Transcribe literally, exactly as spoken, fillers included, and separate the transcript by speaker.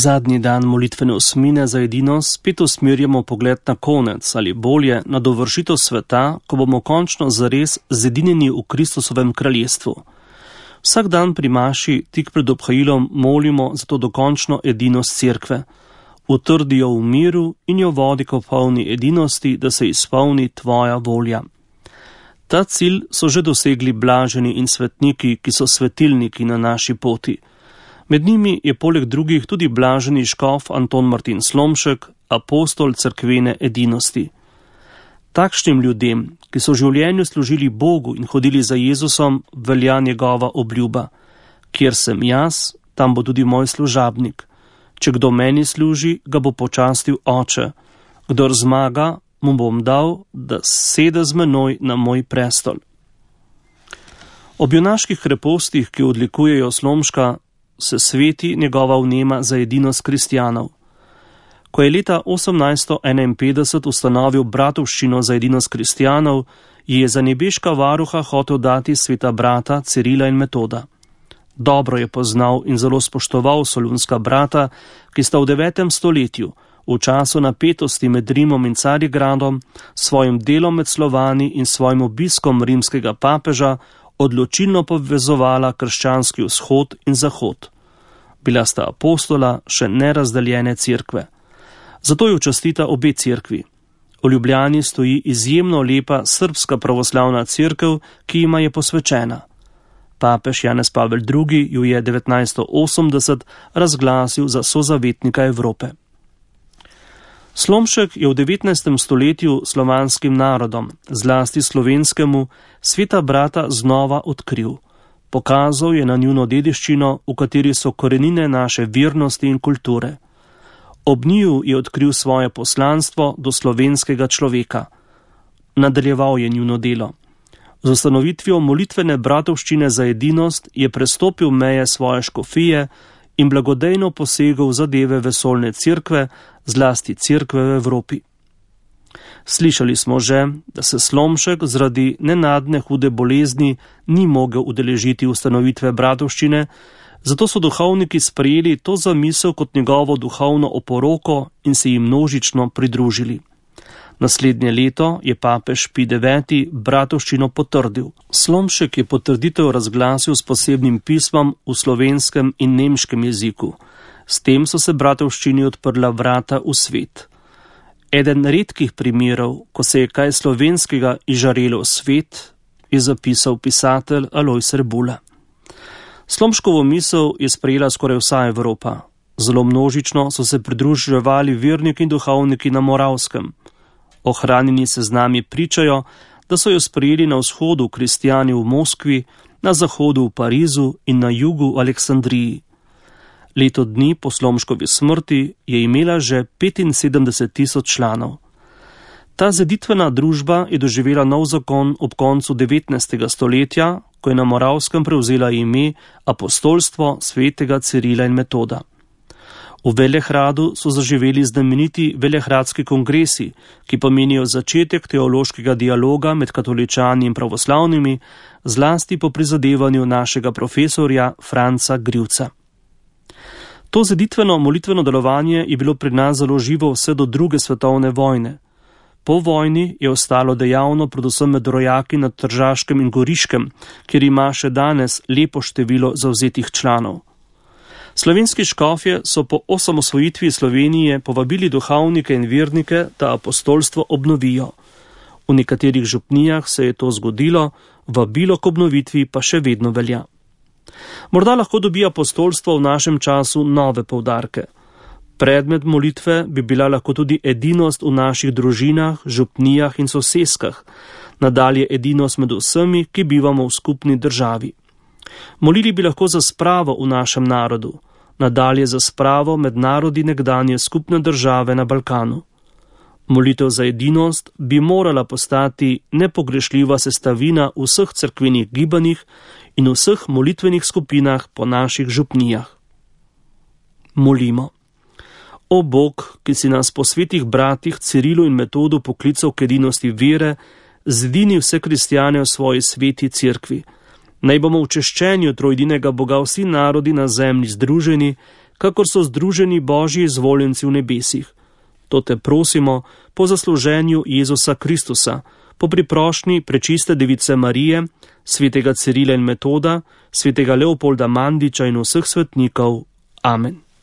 Speaker 1: Zadnji dan molitvene osmine za edinost spet usmerjamo pogled na konec ali bolje na dovršitev sveta, ko bomo končno zares zedinjeni v Kristusovem kraljestvu. Vsak dan pri maši tik pred obhajilom molimo za to dokončno edinost cerkve. Utrdi jo v miru in jo vodi k polni edinosti, da se izpolni tvoja volja. Ta cilj so že dosegli blaženi in svetniki, ki so svetilniki na naši poti. Med njimi je poleg drugih tudi blaženi škof Anton Martin Slomšek, apostol cerkvene edinosti. Takšnim ljudem, ki so v življenju služili Bogu in hodili za Jezusom, velja njegova obljuba. Kjer sem jaz, tam bo tudi moj služabnik. Če kdo meni služi, ga bo počastil Oče. Kdor zmaga, mu bom dal, da sede z menoj na moj prestol. Ob junaških krepostih, ki odlikujejo Slomška, se sveti njegova vnema za edinost kristjanov. Ko je leta osemnajststo enainpetdeset ustanovil bratovščino za edinost kristjanov, ji je za nebeška varuha hotel dati sveta brata Cirila in Metoda. Dobro je poznal in zelo spoštoval solunska brata, ki sta v devetem stoletju, v času napetosti med Rimom in Carigradom, svojim delom med Slovani in svojim obiskom rimskega papeža odločilno povezovala krščanski vzhod in zahod. Bila sta apostola še nerazdeljene cerkve. Zato jo častita obe cerkvi. V Ljubljani stoji izjemno lepa srbska pravoslavna cerkev, ki jima je posvečena. Papež Janez Pavel drugi jo je devetnajststo osemdeset razglasil za sozavetnika Evrope. Slomšek je v devetnajstem stoletju slovanskim narodom, zlasti slovenskemu, sveta brata znova odkril. Pokazal je na njuno dediščino, v kateri so korenine naše virnosti in kulture. Ob njiju je odkril svoje poslanstvo do slovenskega človeka. Nadaljeval je njuno delo. Z ustanovitvijo molitvene bratovščine za edinost je prestopil meje svoje škofije in blagodejno posegel v zadeve vesoljne cerkve, zlasti cerkve v Evropi. Slišali smo že, da se Slomšek zaradi nenadne hude bolezni ni mogel udeležiti ustanovitve bratovščine, zato so duhovniki sprejeli to zamisel kot njegovo duhovno oporoko in se jim množično pridružili. Naslednje leto je papež Pij deveti bratovščino potrdil. Slomšek je potrditev razglasil s posebnim pismom v slovenskem in nemškem jeziku. S tem so se bratovščini odprla vrata v svet. Eden redkih primerov, ko se je kaj slovenskega izžarelo v svet, je zapisal pisatelj Alojz Rebula. Slomškovo misel je sprejela skoraj vsa Evropa. Zelo množično so se pridruževali verniki in duhovniki na Moravskem. Ohranjeni seznami pričajo, da so jo sprejeli na vzhodu kristjani v Moskvi, na zahodu v Parizu in na jugu v Aleksandriji. Leto dni po Slomškovi smrti je imela že petinsedemdeset tisoč članov. Ta zeditvena družba je doživela nov zakon ob koncu devetnajstega stoletja, ko je na Moravskem prevzela ime apostolstvo svetega Cirila in Metoda. V Velehradu so zaživeli znameniti velehradski kongresi, ki pomenijo začetek teološkega dialoga med katoličani in pravoslavnimi, zlasti po prizadevanju našega profesorja Franca Grivca. To zeditveno molitveno delovanje je bilo pri nas zelo živo vse do druge svetovne vojne. Po vojni je ostalo dejavno predvsem med rojaki na Tržaškem in Goriškem, kjer ima še danes lepo število zavzetih članov. Slovenski škofje so po osamosvojitvi Slovenije povabili duhovnike in vernike, da apostolstvo obnovijo. V nekaterih župnijah se je to zgodilo, vabilo k obnovitvi pa še vedno velja. Morda lahko dobi apostolstvo v našem času nove poudarke. Predmet molitve bi bila lahko tudi edinost v naših družinah, župnijah in soseskah, nadalje edinost med vsemi, ki bivamo v skupni državi. Molili bi lahko za spravo v našem narodu, nadalje za spravo med narodi nekdanje skupne države na Balkanu. Molitev za edinost bi morala postati nepogrešljiva sestavina vseh cerkvenih gibanjih in vseh molitvenih skupinah po naših župnijah. Molimo. O Bog, ki si nas po svetih bratih Cirilu in Metodu poklical k edinosti vere, zedini vse kristjane v svoji sveti cerkvi. Naj bomo v češčenju trojedinega Boga vsi narodi na zemlji združeni, kakor so združeni Božji izvoljenci v nebesih. To te prosimo po zasluženju Jezusa Kristusa, po priprošnji prečiste device Marije, svetega Cirila in Metoda, svetega Leopolda Mandiča in vseh svetnikov. Amen.